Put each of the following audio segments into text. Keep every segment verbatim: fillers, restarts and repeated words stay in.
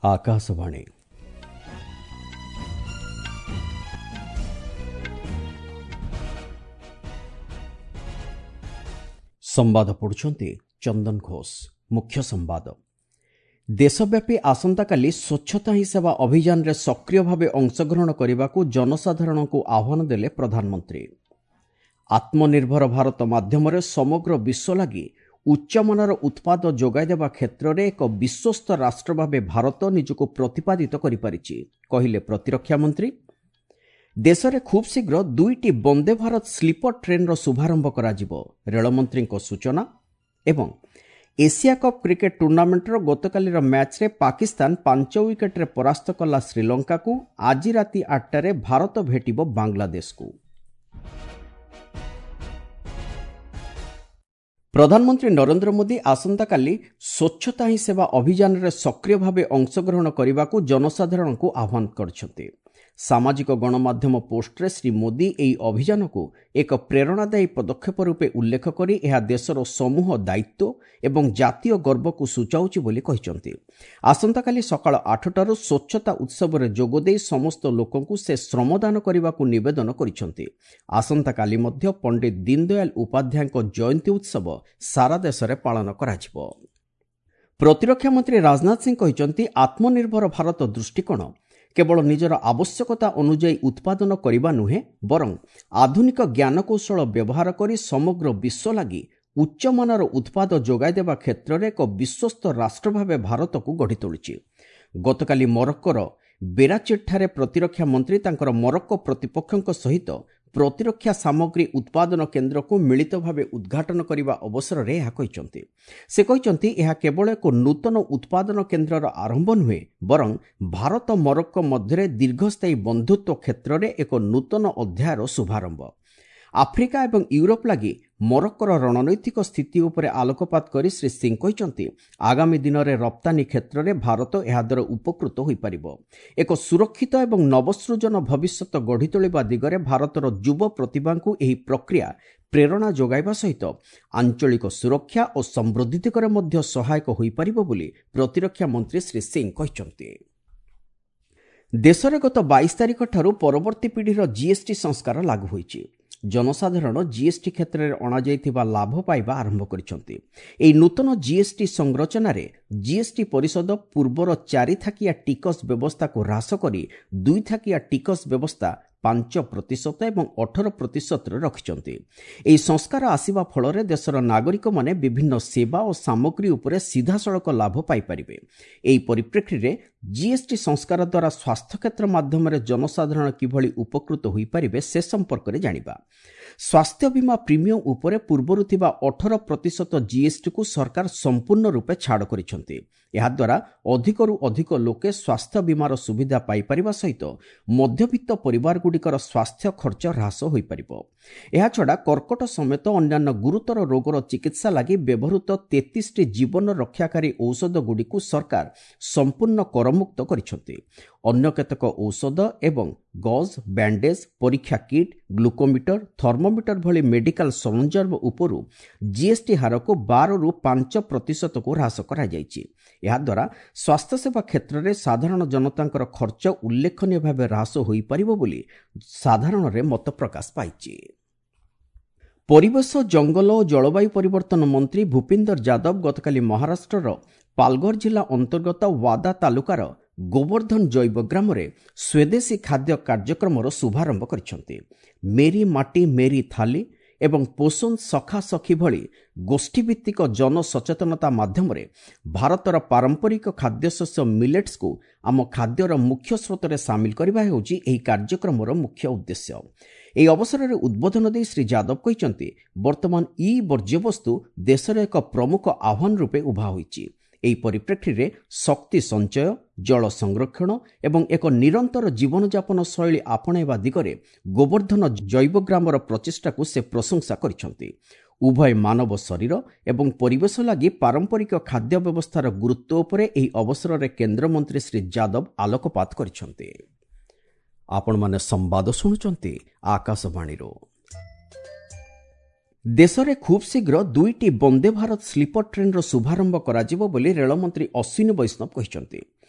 ଆକାଶବାଣୀ। ସମ୍ବାଦ ପଢ଼ୁଛନ୍ତି ଚନ୍ଦନ ଘୋଷ। ମୁଖ୍ୟ ସମ୍ବାଦ। ଦେଶବ୍ୟାପୀ ଆସନ୍ତାକାଲି ସ୍ୱଚ୍ଛତା ହିଁ ସେବା ଅଭିଯାନରେ ସକ୍ରିୟ ଭାବେ ଅଂଶଗ୍ରହଣ କରିବାକୁ ଜନସାଧାରଣଙ୍କୁ ଆହ୍ୱାନ ଦେଲେ ପ୍ରଧାନମନ୍ତ୍ରୀ। ଆତ୍ମନିର୍ଭର ଭାରତ ମାଧ୍ୟମରେ ସମଗ୍ର ବିଶ୍ୱ ଲାଗି ଉଚ୍ଚମାନର ଉତ୍ପାଦ ଯୋଗାଇଦେବା କ୍ଷେତ୍ରରେ ଏକ ବିଶ୍ୱସ୍ତ ରାଷ୍ଟ୍ର ଭାବେ ଭାରତ ନିଜକୁ ପ୍ରତିପାଦିତ କରିପାରିଛି, କହିଲେ ପ୍ରତିରକ୍ଷା ମନ୍ତ୍ରୀ। ଦେଶରେ ଖୁବ୍ ଶୀଘ୍ର ଦୁଇଟି ବନ୍ଦେ ଭାରତ ସ୍ଲିପର ଟ୍ରେନ୍ର ଶୁଭାରମ୍ଭ କରାଯିବ, ରେଳମନ୍ତ୍ରୀଙ୍କ ସୂଚନା। ଏବଂ ଏସିଆ କପ୍ କ୍ରିକେଟ୍ ଟୁର୍ଣ୍ଣାମେଣ୍ଟର ଗତକାଲିର ମ୍ୟାଚ୍ରେ ପାକିସ୍ତାନ ପାଞ୍ଚ ୱିକେଟ୍ରେ ପରାସ୍ତ କଲା ଶ୍ରୀଲଙ୍କାକୁ। ଆଜି ରାତି ଆଠଟାରେ ଭାରତ ଭେଟିବ ବାଂଲାଦେଶକୁ। ପ୍ରଧାନମନ୍ତ୍ରୀ ନରେନ୍ଦ୍ର ମୋଦି ଆସନ୍ତାକାଲି ସ୍ୱଚ୍ଛତା ହିଁ ସେବା ଅଭିଯାନରେ ସକ୍ରିୟ ଭାବେ ଅଂଶଗ୍ରହଣ କରିବାକୁ ଜନସାଧାରଣଙ୍କୁ ଆହ୍ୱାନ କରିଛନ୍ତି। ସାମାଜିକ ଗଣମାଧ୍ୟମ ପୋଷ୍ଟରେ ଶ୍ରୀ ମୋଦି ଏହି ଅଭିଯାନକୁ ଏକ ପ୍ରେରଣାଦାୟୀ ପଦକ୍ଷେପ ରୂପେ ଉଲ୍ଲେଖ କରି ଏହା ଦେଶର ସମୂହ ଦାୟିତ୍ୱ ଏବଂ ଜାତୀୟ ଗର୍ବକୁ ସୂଚାଉଛି ବୋଲି କହିଛନ୍ତି। ଆସନ୍ତାକାଲି ସକାଳ ଆଠଟାରୁ ସ୍ୱଚ୍ଛତା ଉତ୍ସବରେ ଯୋଗଦେଇ ସମସ୍ତ ଲୋକଙ୍କୁ ସେ ଶ୍ରମଦାନ କରିବାକୁ ନିବେଦନ କରିଛନ୍ତି। ଆସନ୍ତାକାଲି ମଧ୍ୟ ପଣ୍ଡିତ ଦୀନଦୟାଲ ଉପାଧ୍ୟାୟଙ୍କ ଜୟନ୍ତୀ ଉତ୍ସବ ସାରା ଦେଶରେ ପାଳନ କରାଯିବ। ପ୍ରତିରକ୍ଷା ମନ୍ତ୍ରୀ ରାଜନାଥ ସିଂ କହିଛନ୍ତି, ଆତ୍ମନିର୍ଭର ଭାରତ ଦୃଷ୍ଟିକୋଣ କେବଳ ନିଜର ଆବଶ୍ୟକତା ଅନୁଯାୟୀ ଉତ୍ପାଦନ କରିବା ନୁହେଁ, ବରଂ ଆଧୁନିକ ଜ୍ଞାନକୌଶଳ ବ୍ୟବହାର କରି ସମଗ୍ର ବିଶ୍ୱ ଲାଗି ଉଚ୍ଚମାନର ଉତ୍ପାଦ ଯୋଗାଇଦେବା କ୍ଷେତ୍ରରେ ଏକ ବିଶ୍ୱସ୍ତ ରାଷ୍ଟ୍ର ଭାବେ ଭାରତକୁ ଗଢ଼ି ତୋଳିଛି। ଗତକାଲି ମରକ୍କୋର ବେରାଚିଟ୍ଠାରେ ପ୍ରତିରକ୍ଷା ମନ୍ତ୍ରୀ ତାଙ୍କର ମରକ୍କୋ ପ୍ରତିପକ୍ଷଙ୍କ ସହିତ ପ୍ରତିରକ୍ଷା ସାମଗ୍ରୀ ଉତ୍ପାଦନ କେନ୍ଦ୍ରକୁ ମିଳିତ ଭାବେ ଉଦ୍ଘାଟନ କରିବା ଅବସରରେ ଏହା କହିଛନ୍ତି। ସେ କହିଛନ୍ତି, ଏହା କେବଳ ଏକ ନୂତନ ଉତ୍ପାଦନ କେନ୍ଦ୍ରର ଆରମ୍ଭ ନୁହେଁ, ବରଂ ଭାରତ ମରକ୍କୋ ମଧ୍ୟରେ ଦୀର୍ଘସ୍ଥାୟୀ ବନ୍ଧୁତ୍ୱ କ୍ଷେତ୍ରରେ ଏକ ନୂତନ ଅଧ୍ୟାୟର ଶୁଭାରମ୍ଭ। ଆଫ୍ରିକା ଏବଂ ୟୁରୋପ ଲାଗି ମରକ୍କୋର ରଣନୈତିକ ସ୍ଥିତି ଉପରେ ଆଲୋକପାତ କରି ଶ୍ରୀ ସିଂ କହିଛନ୍ତି, ଆଗାମୀ ଦିନରେ ରପ୍ତାନୀ କ୍ଷେତ୍ରରେ ଭାରତ ଏହାଦ୍ୱାରା ଉପକୃତ ହୋଇପାରିବ। ଏକ ସୁରକ୍ଷିତ ଏବଂ ନବସୃଜନ ଭବିଷ୍ୟତ ଗଢ଼ି ତୋଳିବା ଦିଗରେ ଭାରତର ଯୁବ ପ୍ରତିଭାଙ୍କୁ ଏହି ପ୍ରକ୍ରିୟା ପ୍ରେରଣା ଯୋଗାଇବା ସହିତ ଆଞ୍ଚଳିକ ସୁରକ୍ଷା ଓ ସମୃଦ୍ଧି ଦିଗରେ ମଧ୍ୟ ସହାୟକ ହୋଇପାରିବ ବୋଲି ପ୍ରତିରକ୍ଷା ମନ୍ତ୍ରୀ ଶ୍ରୀ ସିଂ କହିଛନ୍ତି। ଦେଶରେ ଗତ ବାଇଶ ତାରିଖଠାରୁ ପରବର୍ତ୍ତୀ ପିଢ଼ିର ଜିଏସ୍ଟି ସଂସ୍କାର ଲାଗୁ ହୋଇଛି। ଜନସାଧାରଣ ଜିଏସ୍ଟି କ୍ଷେତ୍ରରେ ଅଣାଯାଇଥିବା ଲାଭ ପାଇବା ଆରମ୍ଭ କରିଛନ୍ତି। ଏହି ନୂତନ ଜିଏସ୍ଟି ସଂରଚନାରେ ଜିଏସ୍ଟି ପରିଷଦ ପୂର୍ବର ଚାରିଥାକିଆ ଟିକସ ବ୍ୟବସ୍ଥାକୁ ହ୍ରାସ କରି ଦୁଇଥାକିଆ ଟିକସ ବ୍ୟବସ୍ଥା ପାଞ୍ଚ ପ୍ରତିଶତ ଏବଂ ଅଠର ପ୍ରତିଶତରେ ରଖିଛନ୍ତି। ଏହି ସଂସ୍କାର ଆସିବା ଫଳରେ ଦେଶର ନାଗରିକମାନେ ବିଭିନ୍ନ ସେବା ଓ ସାମଗ୍ରୀ ଉପରେ ସିଧାସଳଖ ଲାଭ ପାଇପାରିବେ। ଏହି ପରିପ୍ରେକ୍ଷୀରେ ଜିଏସ୍ଟି ସଂସ୍କାର ଦ୍ୱାରା ସ୍ୱାସ୍ଥ୍ୟକ୍ଷେତ୍ର ମାଧ୍ୟମରେ ଜନସାଧାରଣ କିଭଳି ଉପକୃତ ହୋଇପାରିବେ ସେ ସମ୍ପର୍କରେ ଜାଣିବା। ସ୍ୱାସ୍ଥ୍ୟ ବୀମା ପ୍ରିମିୟମ ଉପରେ ପୂର୍ବରୁ ଥିବା ଅଠର ପ୍ରତିଶତ ଜିଏସ୍ଟିକୁ ସରକାର ସମ୍ପୂର୍ଣ୍ଣ ରୂପେ ଛାଡ଼ କରିଛନ୍ତି। ଏହାଦ୍ୱାରା ଅଧିକରୁ ଅଧିକ ଲୋକେ ସ୍ୱାସ୍ଥ୍ୟ ବୀମାର ସୁବିଧା ପାଇପାରିବା ସହିତ ମଧ୍ୟବିତ୍ତ ପରିବାରଗୁଡ଼ିକର ସ୍ୱାସ୍ଥ୍ୟ ଖର୍ଚ୍ଚ ହ୍ରାସ ହୋଇପାରିବ। ଏହାଛଡ଼ା କର୍କଟ ସମେତ ଅନ୍ୟାନ୍ୟ ଗୁରୁତର ରୋଗର ଚିକିତ୍ସା ଲାଗି ବ୍ୟବହୃତ ତେତିଶଟି ଜୀବନ ରକ୍ଷାକାରୀ ଔଷଧଗୁଡ଼ିକୁ ସରକାର ସମ୍ପୂର୍ଣ୍ଣ କରମୁକ୍ତ କରିଛନ୍ତି। ଅନ୍ୟ କେତେକ ଔଷଧ ଏବଂ ଗଜ୍, ବ୍ୟାଣ୍ଡେଜ୍, ପରୀକ୍ଷା କିଟ୍, ଗ୍ଲୁକୋମିଟର, ଥର୍ମୋମିଟର ଭଳି ମେଡିକାଲ ସରଞ୍ଜାମ ଉପରୁ ଜିଏସ୍ଟି ହାରକୁ ବାରରୁ ପାଞ୍ଚ ପ୍ରତିଶତକୁ ହ୍ରାସ କରାଯାଇଛି। ଏହାଦ୍ୱାରା ସ୍ୱାସ୍ଥ୍ୟସେବା କ୍ଷେତ୍ରରେ ସାଧାରଣ ଜନତାଙ୍କର ଖର୍ଚ୍ଚ ଉଲ୍ଲେଖନୀୟ ଭାବେ ହ୍ରାସ ହୋଇପାରିବ ବୋଲି ସାଧାରଣରେ ମତ ପ୍ରକାଶ ପାଇଛି। ପରିବେଶ, ଜଙ୍ଗଲ ଓ ଜଳବାୟୁ ପରିବର୍ତ୍ତନ ମନ୍ତ୍ରୀ ଭୂପିନ୍ଦର ଯାଦବ ଗତକାଲି ମହାରାଷ୍ଟ୍ରର ପାଲଗର ଜିଲ୍ଲା ଅନ୍ତର୍ଗତ ୱାଦା ତାଲୁକାର ଗୋବର୍ଦ୍ଧନ ଜୈବ ଗ୍ରାମରେ ସ୍ୱଦେଶୀ ଖାଦ୍ୟ କାର୍ଯ୍ୟକ୍ରମର ଶୁଭାରମ୍ଭ କରିଛନ୍ତି। ମେରି ମାଟି ମେରି ଥାଲି ଏବଂ ପୋଷଣ ସଖା ସଖୀ ଭଳି ଗୋଷ୍ଠୀଭିତ୍ତିକ ଜନସଚେତନତା ମାଧ୍ୟମରେ ଭାରତର ପାରମ୍ପରିକ ଖାଦ୍ୟଶସ୍ୟ ମିଲେଟ୍ସକୁ ଆମ ଖାଦ୍ୟର ମୁଖ୍ୟ ସ୍ରୋତରେ ସାମିଲ କରିବା ହେଉଛି ଏହି କାର୍ଯ୍ୟକ୍ରମର ମୁଖ୍ୟ ଉଦ୍ଦେଶ୍ୟ। ଏହି ଅବସରରେ ଉଦ୍ବୋଧନ ଦେଇ ଶ୍ରୀ ଯାଦବ କହିଛନ୍ତି, ବର୍ତ୍ତମାନ ଇ ବର୍ଜ୍ୟବସ୍ତୁ ଦେଶରେ ଏକ ପ୍ରମୁଖ ଆହ୍ୱାନ ରୂପେ ଉଭା ହୋଇଛି। ଏହି ପରିପ୍ରେକ୍ଷୀରେ ଶକ୍ତି ସଞ୍ଚୟ, ଜଳ ସଂରକ୍ଷଣ ଏବଂ ଏକ ନିରନ୍ତର ଜୀବନଯାପନ ଶୈଳୀ ଆପଣେଇବା ଦିଗରେ ଗୋବର୍ଦ୍ଧନ ଜୈବଗ୍ରାମର ପ୍ରଚେଷ୍ଟାକୁ ସେ ପ୍ରଶଂସା କରିଛନ୍ତି। ଉଭୟ ମାନବ ଶରୀର ଏବଂ ପରିବେଶ ଲାଗି ପାରମ୍ପରିକ ଖାଦ୍ୟ ବ୍ୟବସ୍ଥାର ଗୁରୁତ୍ୱ ଉପରେ ଏହି ଅବସରରେ କେନ୍ଦ୍ରମନ୍ତ୍ରୀ ଶ୍ରୀ ଯାଦବ ଆଲୋକପାତ କରିଛନ୍ତି। ଆପଣମାନେ ସମ୍ବାଦ ଶୁଣୁଛନ୍ତି ଆକାଶବାଣୀରୁ। ଦେଶରେ ଖୁବ୍ ଶୀଘ୍ର ଦୁଇଟି ବନ୍ଦେ ଭାରତ ସ୍ଲିପର ଟ୍ରେନ୍ର ଶୁଭାରମ୍ଭ କରାଯିବ ବୋଲି ରେଳମନ୍ତ୍ରୀ ଅଶ୍ୱିନୀ ବୈଷ୍ଣବ କହିଛନ୍ତି।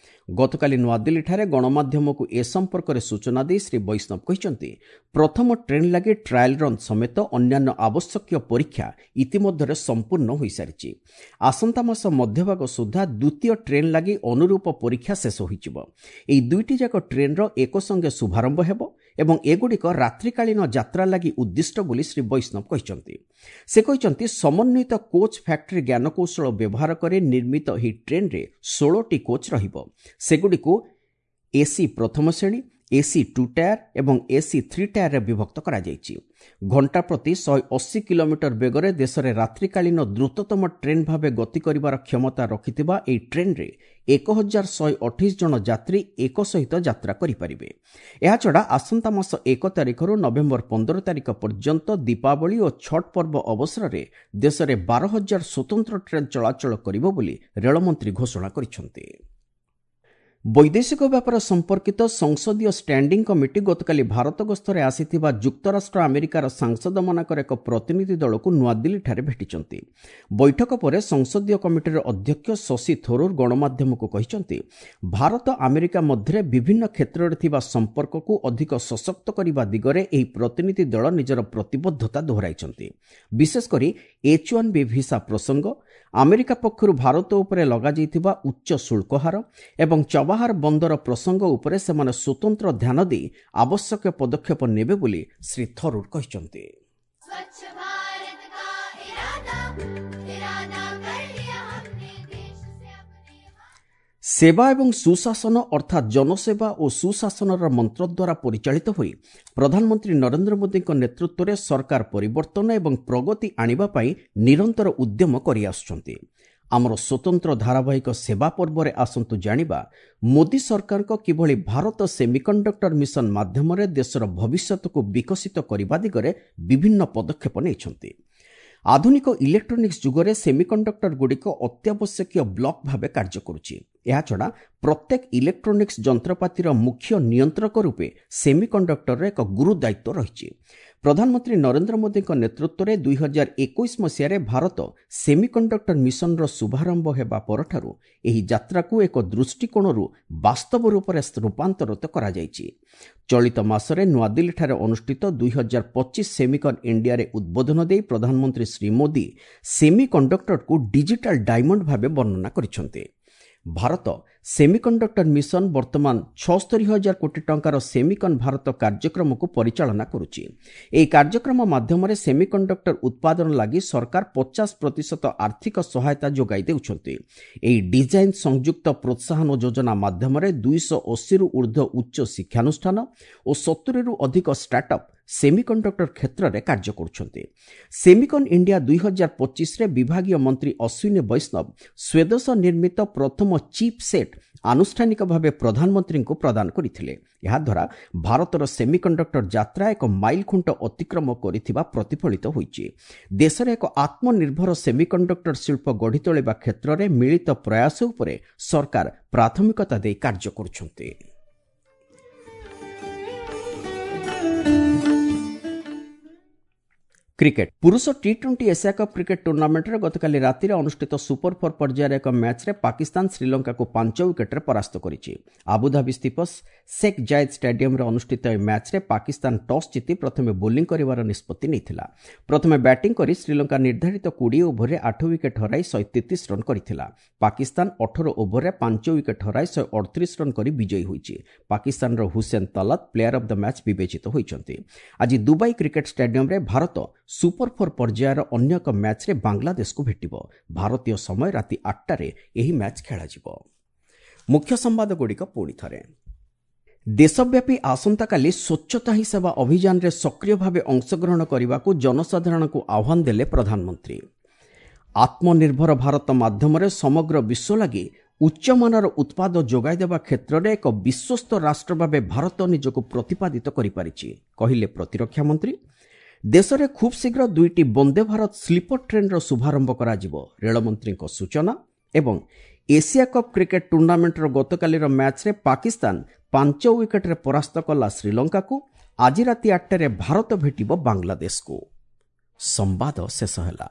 ଗତକାଲି ନୂଆଦିଲ୍ଲୀଠାରେ ଗଣମାଧ୍ୟମକୁ ଏ ସମ୍ପର୍କରେ ସୂଚନା ଦେଇ ଶ୍ରୀ ବୈଷ୍ଣବ କହିଛନ୍ତି, ପ୍ରଥମ ଟ୍ରେନ୍ ଲାଗି ଟ୍ରାଏଲ୍ ରନ୍ ସମେତ ଅନ୍ୟାନ୍ୟ ଆବଶ୍ୟକୀୟ ପରୀକ୍ଷା ଇତିମଧ୍ୟରେ ସମ୍ପୂର୍ଣ୍ଣ ହୋଇସାରିଛି। ଆସନ୍ତା ମାସ ମଧ୍ୟଭାଗ ସୁଦ୍ଧା ଦ୍ୱିତୀୟ ଟ୍ରେନ୍ ଲାଗି ଅନୁରୂପ ପରୀକ୍ଷା ଶେଷ ହୋଇଯିବ। ଏହି ଦୁଇଟି ଯାକ ଟ୍ରେନ୍ର ଏକସଙ୍ଗେ ଶୁଭାରମ୍ଭ ହେବ ଏବଂ ଏଗୁଡ଼ିକ ରାତ୍ରିକାଳୀନ ଯାତ୍ରା ଲାଗି ଉଦ୍ଦିଷ୍ଟ ବୋଲି ଶ୍ରୀ ବୈଷ୍ଣବ କହିଛନ୍ତି। ସେ କହିଛନ୍ତି, ସମନ୍ୱିତ କୋଚ୍ ଫ୍ୟାକ୍ଟ୍ରି ଜ୍ଞାନକୌଶଳ ବ୍ୟବହାର କରି ନିର୍ମିତ ଏହି ଟ୍ରେନ୍ରେ ଷୋହଳଟି କୋଚ୍ ରହିବ। ସେଗୁଡ଼ିକୁ ଏସି ପ୍ରଥମ ଶ୍ରେଣୀ, ଏସି ଟୁ ଟାୟାର ଏବଂ ଏସି ଥ୍ରୀ ଟାୟାରରେ ବିଭକ୍ତ କରାଯାଇଛି। ଘଣ୍ଟା ପ୍ରତି ଶହେ ଅଶୀ କିଲୋମିଟର ବେଗରେ ଦେଶରେ ରାତ୍ରିକାଳୀନ ଦ୍ରୁତତମ ଟ୍ରେନ୍ ଭାବେ ଗତି କରିବାର କ୍ଷମତା ରଖିଥିବା ଏହି ଟ୍ରେନ୍ରେ ଏକ ହଜାର ଶହେ ଅଠେଇଶ ଜଣ ଯାତ୍ରୀ ଏକ ସହିତ ଯାତ୍ରା କରିପାରିବେ। ଏହାଛଡ଼ା ଆସନ୍ତା ମାସ ଏକ ତାରିଖରୁ ନଭେମ୍ବର ପନ୍ଦର ତାରିଖ ପର୍ଯ୍ୟନ୍ତ ଦୀପାବଳି ଓ ଛଟ୍ ପର୍ବ ଅବସରରେ ଦେଶରେ ବାର ହଜାର ସ୍ୱତନ୍ତ୍ର ଟ୍ରେନ୍ ଚଳାଚଳ କରିବ ବୋଲି ରେଳମନ୍ତ୍ରୀ ଘୋଷଣା କରିଛନ୍ତି। ବୈଦେଶିକ ବ୍ୟାପାର ସମ୍ପର୍କିତ ସଂସଦୀୟ ଷ୍ଟାଣ୍ଡିଂ କମିଟି ଗତକାଲି ଭାରତ ଗସ୍ତରେ ଆସିଥିବା ଯୁକ୍ତରାଷ୍ଟ୍ର ଆମେରିକାର ସାଂସଦମାନଙ୍କର ଏକ ପ୍ରତିନିଧି ଦଳକୁ ନୂଆଦିଲ୍ଲୀଠାରେ ଭେଟିଛନ୍ତି। ବୈଠକ ପରେ ସଂସଦୀୟ କମିଟିର ଅଧ୍ୟକ୍ଷ ଶଶି ଥରୁର ଗଣମାଧ୍ୟମକୁ କହିଛନ୍ତି, ଭାରତ ଆମେରିକା ମଧ୍ୟରେ ବିଭିନ୍ନ କ୍ଷେତ୍ରରେ ଥିବା ସମ୍ପର୍କକୁ ଅଧିକ ସଶକ୍ତ କରିବା ଦିଗରେ ଏହି ପ୍ରତିନିଧି ଦଳ ନିଜର ପ୍ରତିବଦ୍ଧତା ଦୋହରାଇଛନ୍ତି। ବିଶେଷକରି ଏଚ୍ ୱାନ୍ ବି ଭିସା ପ୍ରସଙ୍ଗ, ଆମେରିକା ପକ୍ଷରୁ ଭାରତ ଉପରେ ଲଗାଯାଇଥିବା ଉଚ୍ଚ ଶୁଳ୍କ ହାର ଏବଂ ଚବାହାର ବନ୍ଦର ପ୍ରସଙ୍ଗ ଉପରେ ସେମାନେ ସ୍ୱତନ୍ତ୍ର ଧ୍ୟାନ ଦେଇ ଆବଶ୍ୟକ ପଦକ୍ଷେପ ନେବେ ବୋଲି ଶ୍ରୀ ଥରୁର କହିଛନ୍ତି। ସେବା ଏବଂ ସୁଶାସନ ଅର୍ଥାତ୍ ଜନସେବା ଓ ସୁଶାସନର ମନ୍ତ୍ର ଦ୍ୱାରା ପରିଚାଳିତ ହୋଇ ପ୍ରଧାନମନ୍ତ୍ରୀ ନରେନ୍ଦ୍ର ମୋଦିଙ୍କ ନେତୃତ୍ୱରେ ସରକାର ପରିବର୍ତ୍ତନ ଏବଂ ପ୍ରଗତି ଆଣିବା ପାଇଁ ନିରନ୍ତର ଉଦ୍ୟମ କରିଆସୁଛନ୍ତି। ଆମର ସ୍ୱତନ୍ତ୍ର ଧାରାବାହିକ ସେବା ପର୍ବରେ ଆସନ୍ତୁ ଜାଣିବା ମୋଦି ସରକାରଙ୍କ କିଭଳି ଭାରତ ସେମିକଣ୍ଡକ୍ଟର ମିଶନ ମାଧ୍ୟମରେ ଦେଶର ଭବିଷ୍ୟତକୁ ବିକଶିତ କରିବା ଦିଗରେ ବିଭିନ୍ନ ପଦକ୍ଷେପ ନେଇଛନ୍ତି। ଆଧୁନିକ ଇଲେକ୍ଟ୍ରୋନିକ୍ସ ଯୁଗରେ ସେମିକଣ୍ଡକ୍ଟରଗୁଡ଼ିକ ଅତ୍ୟାବଶ୍ୟକୀୟ ବ୍ଲକ୍ ଭାବେ କାର୍ଯ୍ୟ କରୁଛି। ଏହାଛଡ଼ା ପ୍ରତ୍ୟେକ ଇଲେକ୍ଟ୍ରୋନିକ୍ସ ଯନ୍ତ୍ରପାତିର ମୁଖ୍ୟ ନିୟନ୍ତ୍ରକ ରୂପେ ସେମିକଣ୍ଡକ୍ଟରର ଏକ ଗୁରୁ ଦାୟିତ୍ୱ ରହିଛି। ପ୍ରଧାନମନ୍ତ୍ରୀ ନରେନ୍ଦ୍ର ମୋଦିଙ୍କ ନେତୃତ୍ୱରେ ଦୁଇ ହଜାର ଏକୋଇଶ ମସିହାରେ ଭାରତ ସେମିକଣ୍ଡକ୍ଟର ମିଶନର ଶୁଭାରମ୍ଭ ହେବା ପରଠାରୁ ଏହି ଯାତ୍ରାକୁ ଏକ ଦୃଷ୍ଟିକୋଣରୁ ବାସ୍ତବ ରୂପରେ ରୂପାନ୍ତରିତ କରାଯାଇଛି। ଚଳିତ ମାସରେ ନୂଆଦିଲ୍ଲୀଠାରେ ଅନୁଷ୍ଠିତ ଦୁଇ ହଜାର ପଚିଶ ସେମିକନ୍ ଇଣ୍ଡିଆରେ ଉଦ୍ବୋଧନ ଦେଇ ପ୍ରଧାନମନ୍ତ୍ରୀ ଶ୍ରୀ ମୋଦି ସେମିକଣ୍ଡକ୍ଟରକୁ ଡିଜିଟାଲ ଡାଇମଣ୍ଡ ଭାବେ ବର୍ଣ୍ଣନା କରିଛନ୍ତି। ଭାରତ ସେମିକଣ୍ଡକ୍ଟର ମିଶନ ବର୍ତ୍ତମାନ ଛଅସ୍ତରୀ ହଜାର କୋଟି ଟଙ୍କାର ସେମିକନ୍ ଭାରତ କାର୍ଯ୍ୟକ୍ରମକୁ ପରିଚାଳନା କରୁଛି। ଏହି କାର୍ଯ୍ୟକ୍ରମ ମାଧ୍ୟମରେ ସେମିକଣ୍ଡକ୍ଟର ଉତ୍ପାଦନ ଲାଗି ସରକାର ପଚାଶ ପ୍ରତିଶତ ଆର୍ଥିକ ସହାୟତା ଯୋଗାଇ ଦେଉଛନ୍ତି। ଏହି ଡିଜାଇନ୍ ସଂଯୁକ୍ତ ପ୍ରୋତ୍ସାହନ ଯୋଜନା ମାଧ୍ୟମରେ ଦୁଇଶହ ଅଶୀରୁ ଉର୍ଦ୍ଧ୍ୱ ଉଚ୍ଚ ଶିକ୍ଷାନୁଷ୍ଠାନ ଓ ସତୁରିରୁ ଅଧିକ ଷ୍ଟାର୍ଟଅପ୍ ସେମିକଣ୍ଡକ୍ଟର କ୍ଷେତ୍ରରେ କାର୍ଯ୍ୟ କରୁଛନ୍ତି। ସେମିକନ୍ ଇଣ୍ଡିଆ ଦୁଇ ହଜାର ପଚିଶରେ ବିଭାଗୀୟ ମନ୍ତ୍ରୀ ଅଶ୍ୱିନୀ ବୈଷ୍ଣବ ସ୍ୱଦେଶ ନିର୍ମିତ ପ୍ରଥମ ଚିପ୍ ସେଟ୍ ଆନୁଷ୍ଠାନିକ ଭାବେ ପ୍ରଧାନମନ୍ତ୍ରୀଙ୍କୁ ପ୍ରଦାନ କରିଥିଲେ। ଏହାଦ୍ୱାରା ଭାରତର ସେମିକଣ୍ଡକ୍ଟର ଯାତ୍ରା ଏକ ମାଇଲଖୁଣ୍ଟ ଅତିକ୍ରମ କରିଥିବା ପ୍ରତିଫଳିତ ହୋଇଛି। ଦେଶରେ ଏକ ଆତ୍ମନିର୍ଭର ସେମିକଣ୍ଡକ୍ଟର ଶିଳ୍ପ ଗଢ଼ି ତୋଳିବା କ୍ଷେତ୍ରରେ ମିଳିତ ପ୍ରୟାସ ଉପରେ ସରକାର ପ୍ରାଥମିକତା ଦେଇ କାର୍ଯ୍ୟ କରୁଛନ୍ତି। କ୍ରିକେଟ ପୁରୁଷ T twenty Asia cup cricket ଟୁର୍ଣ୍ଣାମେଣ୍ଟରେ ଗତକାଲି ରାତିରେ ଅନୁଷ୍ଠିତ ସୁପର ଫୋର୍ ପର୍ଯ୍ୟାୟର ଏକ ମ୍ୟାଚ୍ରେ ପାକିସ୍ତାନ ଶ୍ରୀଲଙ୍କାକୁ ପାଞ୍ଚ ୱିକେଟ୍ରେ ପରାସ୍ତ କରିଛି। ଆବୁଧାବି ସ୍ଥିତ ଶେଖ୍ ଜାୟେଦ୍ ଷ୍ଟାଡିୟମରେ ଅନୁଷ୍ଠିତ ଏହି ମ୍ୟାଚ୍ରେ ପାକିସ୍ତାନ ଟସ୍ ଜିତି ପ୍ରଥମେ ବୋଲିଂ କରିବାର ନିଷ୍ପତ୍ତି ନେଇଥିଲା। ପ୍ରଥମେ ବ୍ୟାଟିଂ କରି ଶ୍ରୀଲଙ୍କା ନିର୍ଦ୍ଧାରିତ କୋଡ଼ିଏ ଓଭରରେ ଆଠ ୱିକେଟ୍ ହରାଇ ଶହେ ତେତିଶ ରନ୍ କରିଥିଲା। ପାକିସ୍ତାନ ଅଠର ଓଭରରେ ପାଞ୍ଚ ୱିକେଟ୍ ହରାଇ ଶହେ ଅଠତିରିଶ ରନ୍ କରି ବିଜୟୀ ହୋଇଛି। ପାକିସ୍ତାନର Hussain Talat player of the match ବିବେଚିତ ହୋଇଛନ୍ତି। ଆଜି ଦୁବାଇ କ୍ରିକେଟ୍ ଷ୍ଟାଡିୟମରେ ଭାରତ ସୁପର ଫୋର୍ ପର୍ଯ୍ୟାୟର ଅନ୍ୟ ଏକ ମ୍ୟାଚ୍ରେ ବାଂଲାଦେଶକୁ ଭେଟିବ। ଭାରତୀୟ ସମୟ ରାତି ଆଠଟାରେ ଏହି ମ୍ୟାଚ୍ ଖେଳାଯିବ। ମୁଖ୍ୟ ସମ୍ବାଦଗୁଡ଼ିକ ପୁଣି ଥରେ। ଦେଶବ୍ୟାପୀ ଆସନ୍ତାକାଲି ସ୍ୱଚ୍ଛତା ହିଁ ସେବା ଅଭିଯାନରେ ସକ୍ରିୟ ଭାବେ ଅଂଶଗ୍ରହଣ କରିବାକୁ ଜନସାଧାରଣଙ୍କୁ ଆହ୍ୱାନ ଦେଲେ ପ୍ରଧାନମନ୍ତ୍ରୀ। ଆତ୍ମନିର୍ଭର ଭାରତ ମାଧ୍ୟମରେ ସମଗ୍ର ବିଶ୍ୱ ଲାଗି ଉଚ୍ଚମାନର ଉତ୍ପାଦ ଯୋଗାଇଦେବା କ୍ଷେତ୍ରରେ ଏକ ବିଶ୍ୱସ୍ତ ରାଷ୍ଟ୍ର ଭାବେ ଭାରତ ନିଜକୁ ପ୍ରତିପାଦିତ କରିପାରିଛି, କହିଲେ ପ୍ରତିରକ୍ଷା ମନ୍ତ୍ରୀ। ଦେଶରେ ଖୁବ୍ ଶୀଘ୍ର ଦୁଇଟି ବନ୍ଦେ ଭାରତ ସ୍ଲିପର ଟ୍ରେନ୍ର ଶୁଭାରମ୍ଭ କରାଯିବ, ରେଳମନ୍ତ୍ରୀଙ୍କ ସୂଚନା। ଏବଂ ଏସିଆ କପ୍ କ୍ରିକେଟ୍ ଟୁର୍ଣ୍ଣାମେଣ୍ଟର ଗତକାଲିର ମ୍ୟାଚ୍ରେ ପାକିସ୍ତାନ ପାଞ୍ଚ ୱିକେଟ୍ରେ ପରାସ୍ତ କଲା ଶ୍ରୀଲଙ୍କାକୁ। ଆଜି ରାତି ଆଠଟାରେ ଭାରତ ଭେଟିବ ବାଂଲାଦେଶକୁ। ସମ୍ବାଦ ଶେଷ ହେଲା।